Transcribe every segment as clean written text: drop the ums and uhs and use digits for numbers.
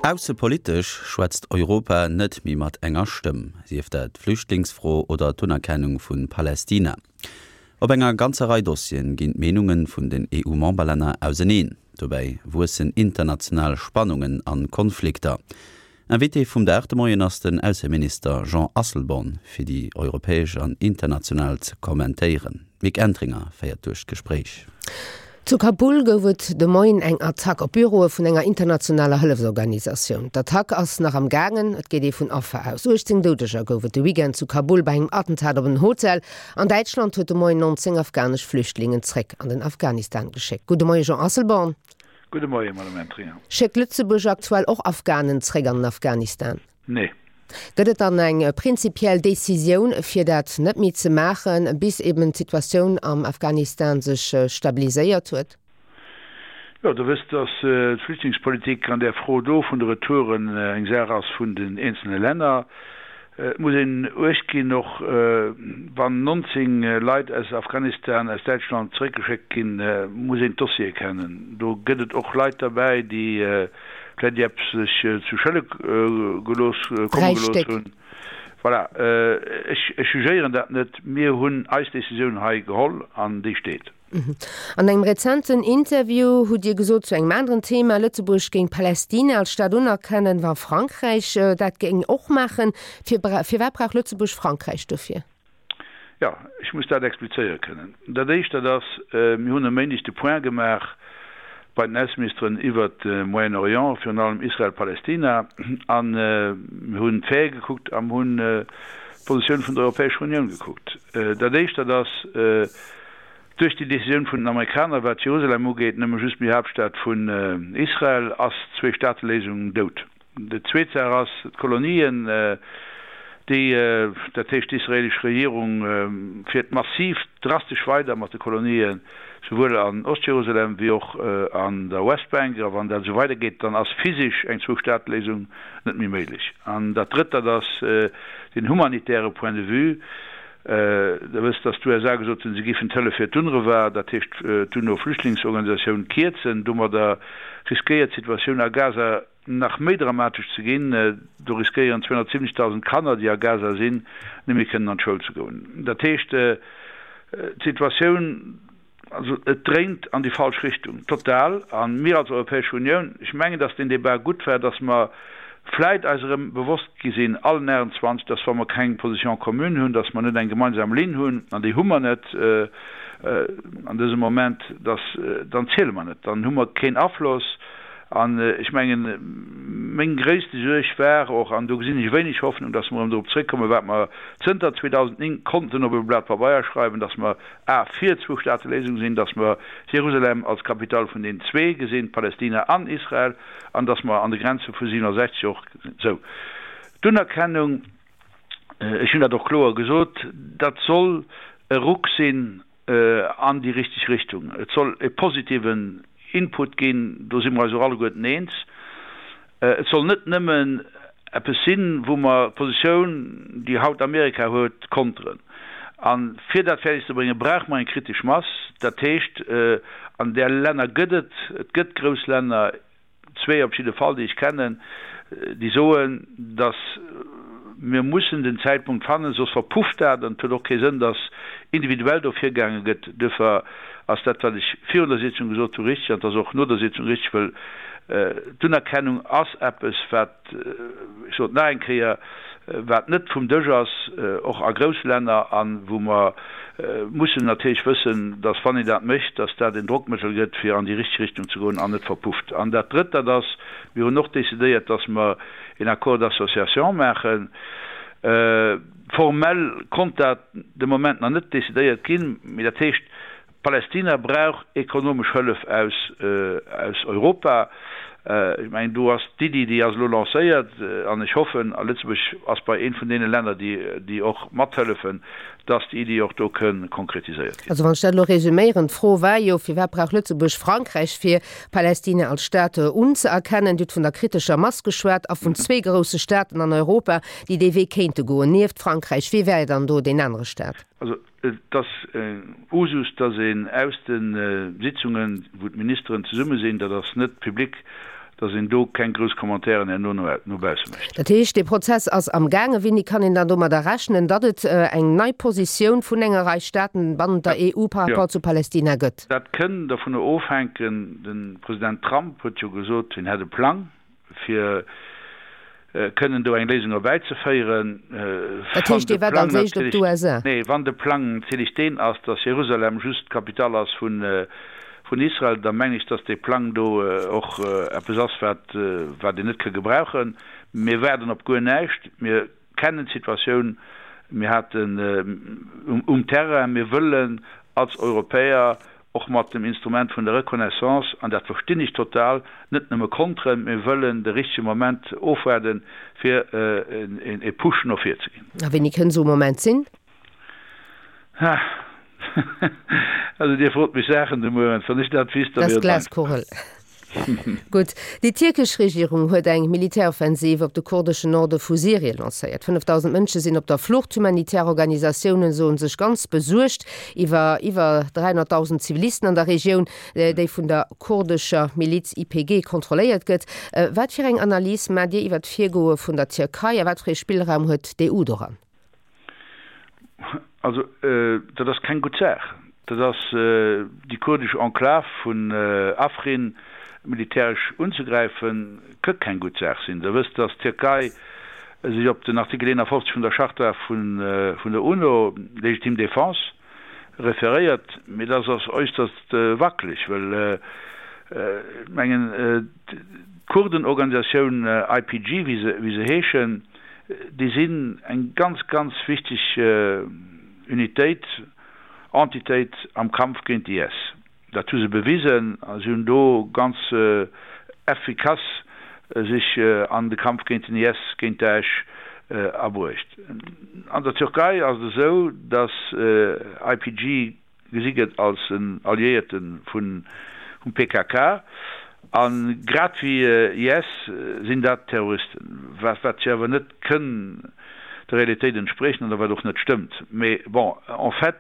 Aussepolitesch schwätzt Europa net méi mat enger Stëmm, sief dat d'Flüchtlingsfro oder d'Unerkennung vu Palästina. Op enger ganzer Rei Dossieren ginn d'Meenunge vun den EU-Memberlänner auseneen. Dobäi wuessen international Spannungen an Konflikter. Invité vum Dag de Moien ass den Ausseminister Jean Asselborn, fir déi europäesch an international ze kommentéieren. D'Mick Entringer féiert duerch d'Gespréich. Zu Kabul gouf et de Moien eng Attack op Büroe vun enger internationaler Hëllefsorganisatioun. D'Attack ass nach am gaangen, et geet ee vun Affer aus. 18 Doudeger gouf et de Weekend zu Kabul bei engem Attentat op en Hotel. An Däitschland huet de Moien 19 afghanesch Flüchtlingen zréck an den Afghanistan geschéckt. Gudde Moie Jean Asselborn. Gudde Moie Madame Entringer. Schéckt Lëtzebuerg aktuell och Afghanen zréck an den Afghanistan? Nee. Gëtt et dann eng prinzipiell Decisioun, fir dat net méi ze maachen, bis eben d'Situatioun am Afghanistan sech stabiliséiert huet? Jo, Der wësst, datt d'Flüchtlingspolitik an där Fro do vun de Retouren eng Saach ass vun den eenzelne Länner. Et muss een Uecht ginn, och wann 19 Leit aus Afghanistan aus Däitschland zeréckgeschéckt ginn, muss een d'Dossiere kennen. Do gëtt et och Leit derbäi, déi vläicht eppes sech zu Schëlle gelooss, komme gelooss hunn. Voilà, ech jugéieren dat net. Mir hunn eis Decisioun hei geholl an déi steet. An engem rezenten Interview hutt Dir gesot zu engem aneren Thema, Lëtzebuerg géing Palästina als Staat unerkennen, wa Frankräich dat géing och maachen. Firwat brauch Lëtzebuerg Frankräich dofir? Jo, ech muss dat explizéiere kënnen. Dat Éischt, dat ass, mir hunn e Méindeg de Point gemaach bei den Ausseministeren iwwert de Moyen-Orient, virun allem Israel-Palästina, a mir hunn d'Faite gekuckt a mir hunn d'Positioun vun der Europäescher Unioun gekuckt. Dat Éischt, dat ass, Duerch déi Decisioun vun den Amerikaner, wat Jerusalem ugeet, nëmme just méi Haaptstad vun Israel, ass d'Zwee-Staate-Léisung dout. Déi zweet Saach ass, d'Kolonien, déi, dat heescht d'israelesch Regierung fiert massiv drastesch weider mat de Kolonien, souwuel an Ost-Jerusalem wéi och an der Westbank. A wann dat esou weidergeet, dann ass physesch eng Zwou-Staate-Léisung net méi méiglech. An dat Drëtt, dat ass den humanitäre Point de vue. Der wësst, datt d'USA gesot hunn, se géifen d'Hëllef fir d'UNRWA, dat heescht d'UNO-Flüchtlingsorganisatioun, kierzen. Domadder riskéiert d'Situatioun a Gaza nach méi dramatesch ze ginn. Do riskéieren 270.000 Kanner, déi a Gaza sinn, net méi kënnen an d'Schoul ze goen. Dat heescht, d'Situatioun. Also et dréint an déi falsch Richtung, total. A mir als Europäesch Unioun, ech mengen, datt deen Débat gutt war, datt mer vläit eis erëm bewosst gi sinn, allen 28, datt wa mer keng Position commune hunn, datt mer net eng gemeinsam Linn hunn, an déi hu mer net an dësem Moment, datt dann ziele mer net, dann hu mer keen Afloss. An ech mengen, meng gréisste Suerg war och, an do gesinn ech wéineg Hoffnung, datt mer erëm dorop zréckkommen, wat mer zënter 2009 konnten op e Blat Pabeier schreiwen, datt mer A fir d'Zwou-Staate-Léisung sinn, datt mer Jerusalem als Capitale vun den zwee gesinn, Palästina an Israel, an datt mer an de Grenze vu 67 och sinn. Sou, d'Unerkennung, ech hunn dat och kloer gesot, dat soll e Ruck sinn an déi richteg Richtung. Et soll e positiven Input ginn, do si mer eis och alleguerten eens. Et soll net nëmmen eppes sinn, wou mer d'Positioun, déi haut Amerika huet, konteren. A fir dat fäerdeg ze bréngen, brauche mer eng kritesch Mass. Dat heescht, an där Länner gëtt et, et gëtt grouss Länner, zwee op jidde Fall, déi ech kennen, déi soen, datt mir mussen den Zäitpunkt fannen, soss verpufft dat an et huet och kee Sënn, datt individuell do virgaange gëtt. Duerfir ass dat, wat ech virun der Sitzung gesot hu, richtig an et ass och no der Sitzung richtig, well d'Unerkennung ass eppes, wat, ech soen et nach eng Kéier, wat net vum Dësch ass, och a grousse Länner, a wou mer mussen natierlech wëssen, datt wann een dat mécht, datt dat en Drockmëttel gëtt, fir an déi richteg Richtung ze goen an net verpufft. An dat Drëtt, dat ass, mir hunn och decidéiert, datt mer een Accord d'association maachen. Formell konnt dat de Moment nach net decidéiert ginn, mee dat heescht, Palästina brauch ekonomesch Hëllef aus aus Europa. Ech mengen, do ass d'Iddi, déi ass elo lancéiert, an ech hoffen, a Lëtzebuerg ass bei eent vun deene Länner, déi déi och mathëllefen, dass déi Iddi och do kënn konkretiséiert ginn. Also wann ech dat elo resüméieren, d'Fro war jo, Firwat brauch Lëtzebuerg Frankräich, fir Palästina als Staat unzëerkennen? Dir hutt vun der kritescher Mass geschwat a vun zwee grousse Staaten an Europa, déi dee Wee kéinte goen, nieft Frankräich. Wie wär dann do deen anere Staat? Also Et ass Usus, dass een aus de Sitzungen, wou d'Ministeren zesumme sinn, dat ass net public, Dass een do keng grouss Commentairen herno no bausse mécht. Dat heescht, dee Prozess ass am gaangen. Wéini kann een dann domadder rechnen, datt et eng nei Positioun vun enger Rei Staaten bannent der EU par rapport zu Palästina gëtt? Dat kënn dovunner ofhänken, de President Trump huet jo gesot, hien hätt e Plang, fir kënnen do eng Léisung erbäizeféieren. Dat heescht, Dir waart als éischt op d'USA? Nee, wann de Plang natierlech deen ass, datt Jerusalem just d'Capitale ass vun Israel, da mengen ech, datt dee Plang do och eppes ass, wat wat een net ka gebrauchen. Mir waarden op guer näischt. Mir kennen d'Situatioun. Mir haten um Terrain, mir wëllen als Europäer och mat dem Instrument vun der Reconnaissance, an dat verstinn ech total, net nëmme konteren, mir wëllen de richtege Moment ofwaarden, fir e Push no vir ze ginn. A wéini kënn esou e Moment sinn? Ha! Also Dir frot mech Saachen de Mueren, wann ech dat wisst, da wier et einfach. Glaskugel. Gutt. Déi tierkesch Regierung huet eng Militäroffensiv op de kurdeschen Norde vu Syrien lancéiert. 5.000 Mënsche sinn op der Flucht. Humanitär Organisatioune soe sech ganz besuergt iwwer iwwer 300.000 Zivilisten an der Regioun, déi vun der kurdescher Miliz YPG kontrolléiert gëtt. Wat fir eng Analys maacht Dir iwwer d'Virgoe vun der Tierkei a wat fir ee Spillraum huet d'EU doran? Also, dat ass keng gutt Saach. Dat ass déi kurdesch Enklav vun Afrin militäresch unzegräifen, kënnt keng gutt Saach sinn. Der wësst, datt d'Tierkei sech op den Artikel 51 vun der Charta vun der UNO, légitime défense, referéiert, mee dat ass äusserst wackeleg, well ech mengen, d'Kurdenorganisatioun YPG, wéi se heeschen, déi sinn eng ganz, ganz wichteg Unitéit, Entitéit am Kampf géint d'IS. Dat hu se bewisen a si hunn do ganz effikass sech an de Kampf géint den IS, géint Daesh abruecht. An der Türkei ass et esou, datt YPG gesi gëtt als en Alliéierte vum PKK a grad wéi IS sinn dat Terroristen, wat wat jo awer net kënn der Realitéit entspriechen oder wat och net stëmmt. Mee bon, en fait,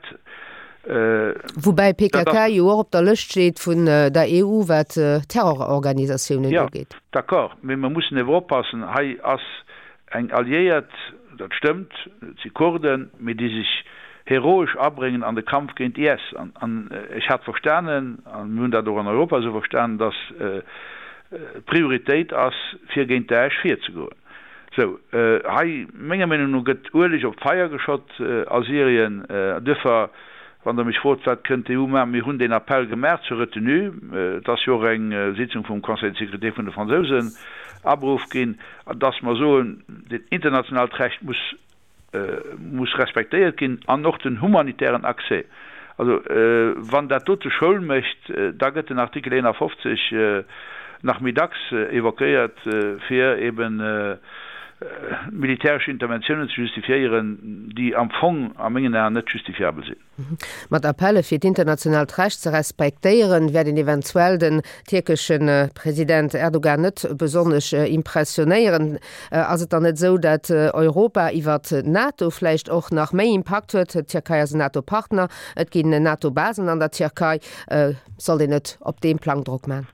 Woubäi PKK jo och op der Lëscht steet vun der EU, wat Terrororganisatiounen ugeet. Jo, d'accord, mee mer mussen ewer oppassen, hei ass Eng Alliéiert, dat stëmmt, et si Kurden, mee déi sech heroesch abréngen an de Kampf géint IS. An ech hat verstanen, a mir hunn dat och an Europa esou verstanen, datt d'Prioritéit ass, fir géint Daesh virzegoen. Sou, hei, menger Meenung no, gëtt Ueleg op d'Feier geschott a Syrien. Duerfir, wann Der mech frot, wat kënnt d'EU maachen, mir hunn deen Appell gemaach zur Retenue. Et ass jo och eng Sitzung vum Conseil de sécurité vun de Fransousen aberuff ginn. An dass mer soen, dat internationaalt Recht muss, muss respektéiert ginn an och den humanitären Accès. Also wann dat dote Schoul mécht, da gëtt den Artikel 51 nach méi dacks évoquéiert, fir eben militäresch Interventiounen ze justifiéieren, déi am Fong a mengen Aen net justifiabel sinn. Mat Appelle fir d'internationaalt Recht ze respektéieren, wäert een eventuell den tierkesche President Erdogan net besonnesch impressionéieren. Ass et dann net esou, dat Europa iwwer d'NATO vläicht och nach méi Impakt huet? D'Tierkei ass en NATO-Partner, et ginn NATO-Basen an der Tierkei. Sollt een net op deem Plang Drock man?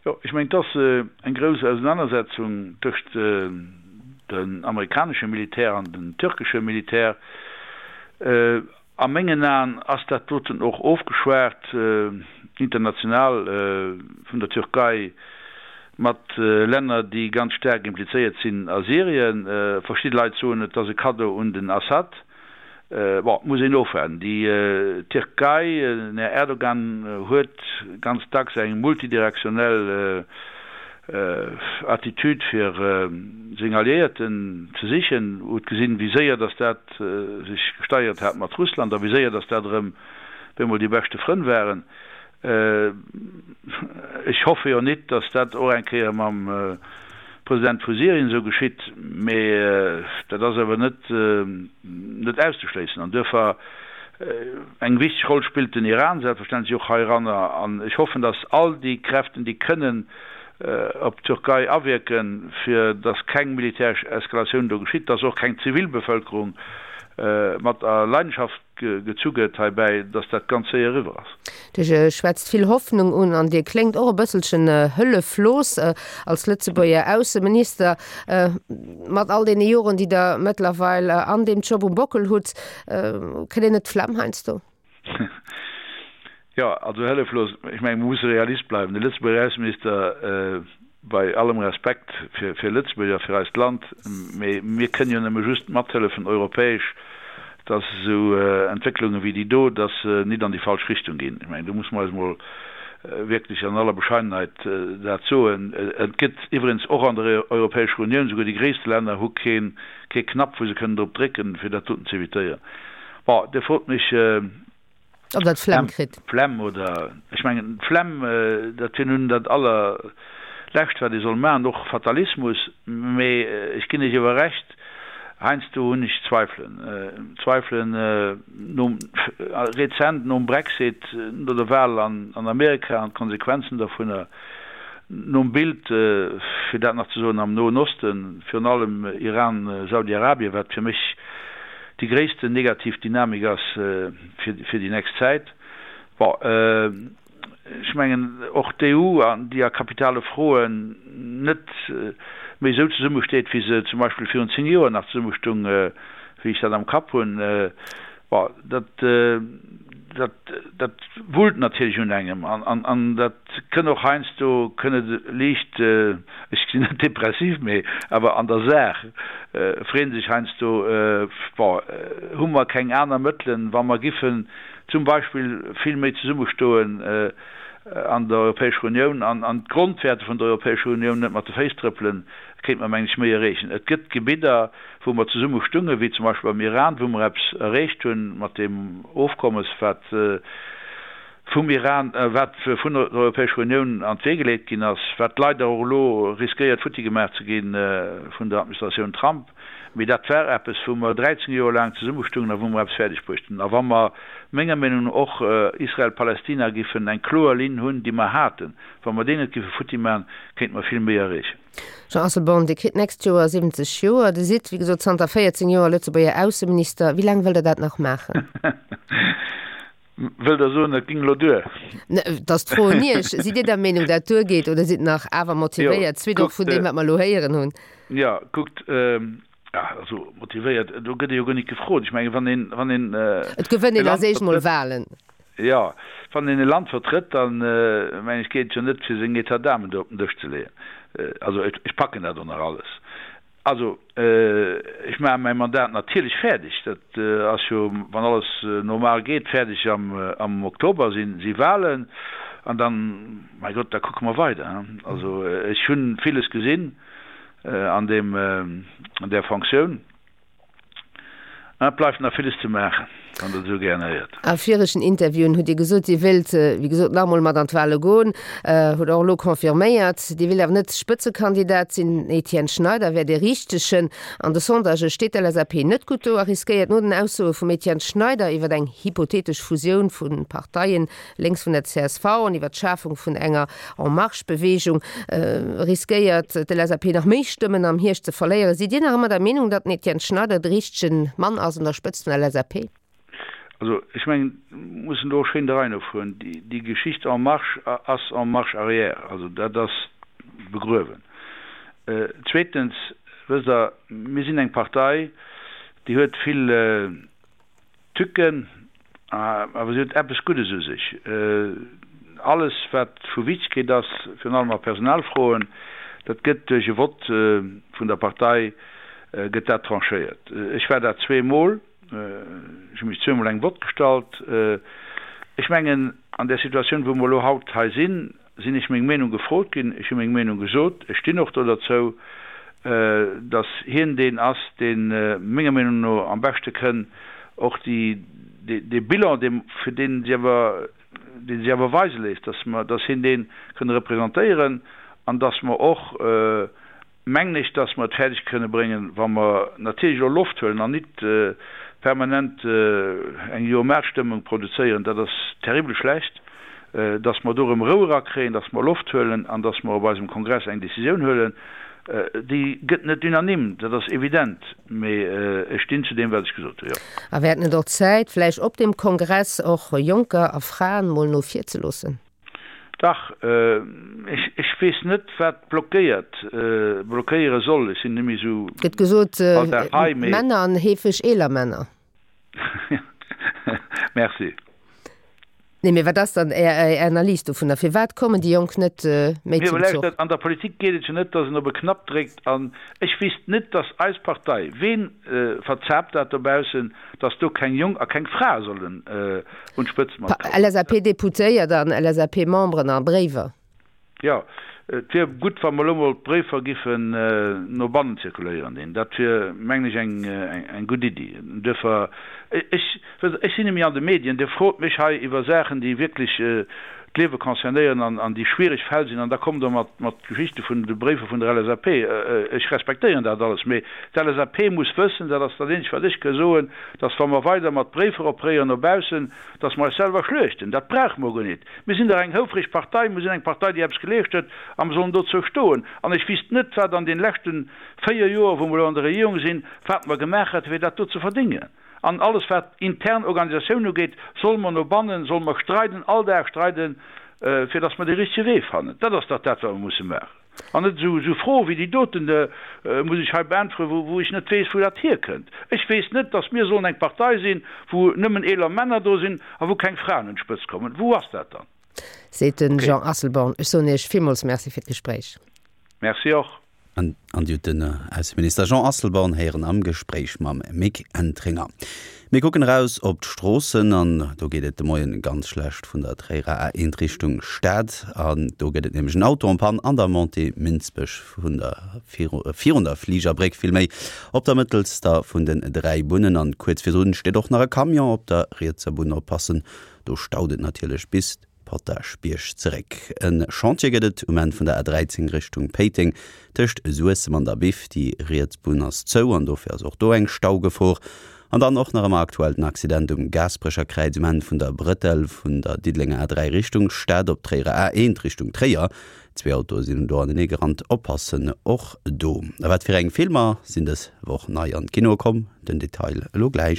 Jo, ech mengen, et ass eng grouss Ausenanersetzung tëscht dem amerikanesche Militär an dem türkesche Militär. A mengen Aen ass dat doten och ofgeschwat international vun der Türkei mat Länner, déi ganz staark implizéiert sinn a Syrien. Verschidde Leit soen, et ass e Kaddo un den Assad. Bon, et muss een ofwaarden. Déi Tierkei, den Här Erdogan huet ganz dacks eng multidirektionell Attitude fir seng Alliéierten ze sichen. Huet gesinn, wéi séier datt dat sech gesteigert hat mat Russland a wéi séier datt dat erëm op eemol déi beschte Frënn waren. Ech hoffe jo nit, datt dat och eng Kéier mam President vu Syrien esou geschitt, mee dat ass awer net net auszeschléissen. An duerfir eng wichteg Roll spillt den Iran selbstverständlech och heiranner. An ech hoffen, datt all déi Kräften, déi kënnen op d'Türkei awierken, fir datt keng militäresch Eskalatioun do geschitt, datt och keng Zivilbevölkerung. mat a Leidenschaft gezu gëtt heibäi, dass dat ganz séier eriwwer ass. Dir schwätzt vill Hoffnung un an Dir kléngt och e bësselchen hëlleflos als Lëtzebuerger Ausseminister. Mat all deene Joren, déi Der mëttlerweil an deem Job um Bockel hutt, kritt een net d'Flemm heiansdo? Jo, also hëlleflos, ech mengen, mer musse Realist bleiwen. De Lëtzebuerger Ausseminister, bei allem Respekt fir Lëtzebuerg a fir eist Land, mee mir kënnen jo nëmme just mathëllefen europäesch, dass esou Entwécklunge wéi déi do, dass se nit an déi falsch Richtung ginn. Ech mengen, do musse mer eis emol wierklech an aller Bescheidenheit dat soen. Et gëtt iwwregens och an der Europäescher Unioun, souguer déi gréisste Länner hu kee Knapp, wou se kënnen drop drécken, fir dat doten z'évitéieren. Bon, Dir frot mech. Ob Der d'Flemm kritt? Flemm oder, ech mengen, d'Flemm, dat wier nun dat Allerlescht, wat ee soll maachen, och Fatalismus. Mee ech ginn Iech awer Recht, heiansdo hunn ech Zweifelen. Zweifelen nom, rezent nom Brexit, no der Wahl an Amerika an d'Konsequenzen dovunner, nom Bild, fir dat nach ze soen, am Noen Osten, virun allem Iran, Saudi-Arabien, wat fir mech déi gréissten negativ Dynamik ass fir déi nächst Zäit. Bon, ech mengen och d'EU, déi a kapitale Froen net méi esou zesummesteet, wéi se zum Beispill virun 10 Joer nach zesummestung, wéi ech dat am Kapp hunn, bon, dat, dat, dat wullt natierlech un engem an dat kënn och heiansdo kënn et liicht, ech sinn net depressiv, mee awer an der Saach freeën sech heiansdo, bon, hu mer keng aner Mëttelen, wa mer giffen zum Beispill vill méi zesummestoen an der Europäescher Unioun an an d'Grondwäerte vun der Europäescher Unioun net mat de Féiss trëppelen, kéinte mer, mengen ech, méi erreechen. Et gëtt Gebidder, wou mer zesumme stungen, wéi zum Beispill beim Iran, wou mer eppes erreecht hunn mat deem Ofkommes, wat vum Iran, wat vun der Europäescher Unioun an d'Wee geleet ginn ass, wat leider och elo riskéiert futti gemaach ze gi vun der Administratioun Trump. Mee dat war eppes, wou mer 13 Joer laang zesummestungen a wou mer eppes fäerdeg bruecht hunn. A wa mer menger Meenung no och Israel-Palästina giffen eng kloer Linn hunn, déi mer haten, wa mer déi net giffe futti maachen, kéinte mer vill méi erreechen. Jean Asselborn, Dir kritt d'nächst Joer 70 Joer. Dir sidd, wéi gesot, zanter 14 Joer Lëtzebuerger Ausseminister. Wéi laang wëllt Der dat nach maachen? Wëllt Der soen, et ging elo duer? Et ass d'Fro un Iech. Sidd Dir der Meenung, dat duergeet, oder sidd nach awer motivéiert, suite och vun deem, wat mer elo héieren hunn? Jo, kuckt, also motivéiert, do gëtt ee jo guer nit gefrot. Ech mengen, wann een, wann een Et gewënnt een als éischt mol Wahlen. Jo, wann een e Land vertrëtt, dann, mengen ech, geet et jo net, fir seng États d'âme do op den Dësch ze leeën. Also ech packen dat och nach alles. Also, ech maache mäi Mandat natierlech fäerdeg. Dat ass jo, wann alles normal geet, fäerdeg am Oktober si Wahlen. An dann, mäi Gott, da kucke mer weider. Also ech hu villes gesinn an deem, an där Fonctioun. Et bleift nach villes ze maachen, wann Der et esou gären héiert. A viregen Interviewen hutt Dir gesot, Dir wéilt, wéi gesot, nach emol mat an d'Wale goen. Hutt och elo confirméiert. Dir wéilt awer net Spëtzekandidat sinn. Den Etienne Schneider wär dee Richtegen. An de Sondagë steet d'LSAP net gutt do a riskéiert no den Aussoe vum Etienne Schneider iwwer eng hypothetesch Fusioun vu Parteien lénks vun der csv an iwwer d'Schafung vun enger En Marche-Beweegung riskéiert d'LSAP nach méi Stëmmen am Hierscht ze verléieren. Sidd Dir nach ëmmer der Meenung, datt den Etienne Schneider de richtege Mann ass un der Spëtzt vun der LSAP? Also ech mengen, mir mussen do och schéin der Rei no fueren. Déi Geschicht En Marche ass en marche arrière, also dat ass begruewen. Zweetens, wësst Der, mir sinn eng Partei, déi huet vill Tücken, awer si huet eppes Guddes u sech, Alles wat vu Wichtegkeet ass, virun allem a Personalfroen, dat gëtt duerch e Vott vun der Partei gëtt dat tranchéiert. Ech war dat zweemol, ech hu mech zweemol engem Vott gestallt. Ech mengen, an där Situatioun wou mer elo haut hei sinn, sinn ech meng Meenung gefrot ginn, ech hu meng Meenung gesot, ech stinn och do derzou, datt hien deen ass, dee menger Meenung no am beschte kënn och déi, dee Bilan, dee fir dee si awer, dee si awer weise léisst, datt mer, datt hien dee kënn representéieren an datt mer och, mengen ech, datt mer et fäerdeg kënne bréngen, wa mer natierlech elo Loft huelen an nit permanent eng Jo-Mä-Stëmmung produzéieren, dat ass terribel schlecht. Dass mer do erëm Rou erakréien, dass mer Loft huelen an dass mer op eisem Kongress eng Décisioun huelen, déi gëtt net unanime, dat ass evident, mee ech stinn zu deem, wat ech gesot hunn, jo. A wär et net och Zäit, vläicht op deem Kongress och Jonker a Fraen mol no vir ze loossen? Dach, ech weess net, wat blockéiert, blockéiere soll. Ech sinn net méi esou Gëtt gesot, all Dag hei, mee. Männer an heefeg eeler Männer. Merci. Nee, mee wat ass dann Är Analys dovunner? Firwat kommen déi Jonk net méi zum Zuch? An der Politik geet et jo net, datt een op e Knapp dréckt. An ech wéisst net, datt eis Partei, ween verzaapt dat dobaussen, datt do keng Jong a keng Fra sollen un d'Spëtzt matkommen. LSAP-Deputéiert an LSAP-Memberen a Bréiwer. Jo, et wier gutt, wa mer elo mol d'Bréifer giffen no bannen zirkuléieren dinn. Dat wier, mengen ech, eng gutt Iddi. Duerfir, ech, wësst Der, ech sinn net méi an de Medien. Dir frot mech hei iwwer Saachen, déi wierklech d'Liewe concernéieren an déi schwiereg Fäll sinn, an da kommt Der mat, mat Geschichte vun de Bréifer vun der LSAP. Ech respektéieren dat alles, mee d'LSAP muss wëssen, dat ass dat eenzegt, wat ech ka soen, dass, wa mer weider mat Bréifer operéieren no baussen, dass mer eis selwer schluechten. Dat brauche mer guer nit. Mir sinn dach eng houfreg Partei, mir sinn eng Partei, déi eppes geleescht huet, a mer sollen dozou stoen. An ech wüsst net, wat an deene leschte 4 Joer, wou mer elo an der Regierung sinn, wat mer gemaach hätten, fir dat do ze verdéngen. An alles, wat intern Organisatioun ugeet, solle mer no bannen, solle mer streiden, all Dag streiden, fir dass mer dee richtege Wee fannen. Dat ass dach dat, wat mer musse maachen. An net esou Froe wéi déi doten muss ech hei beäntweren, wou ech net weess, wou dat hierkënnt. Ech weess net, datt mir sollen eng Partei sinn, wou nëmmen eeler Männer do sinn a wou keng Fraen un d'Spëtzt kommen. Wou ass dat dann? Seet de Jean Asselborn. Ech soen Iech villmools Merci fir d'Gespréich. Merci och. An Dir hutt den Ausseminister Jean Asselborn héieren am Gespréich mam Mick Entringer. Mir kucken eraus op d'Stroossen an do geet et de Moien ganz schlecht vun der Tréierer A1 Richtung Stad. An do gëtt et nämlech en Auto en panne an der Montée Minsbech vun der virun der Fligerbréck villméi op der mëttelster vun den 3 Bunnen. An kuerz virdrun steet och nach e Camion op der rietser Bunn. Oppassen, do staut et natierlech bis Potaschbierg zeréck. E Chantier gëtt et um Enn vun der A13 Richtung Péiteng, tëscht Suessem an der Biff. Déi riets Bunn ass zou an dofir ass och do eng Staugefor. An dann och nach ëmmer aktuell den Accident um Gaasperecher Kräiz um Enn vun der Brëttel vun der Diddelenger A3 Richtung Stad op d'Tréierer A1 Richtung Tréier. Zwee Autoe sinn do anenee gerannt, oppassen och do. A wat fir eng Filmer sinn dës Woch nei an d'Kinoe komm? Den Detail elo gläich.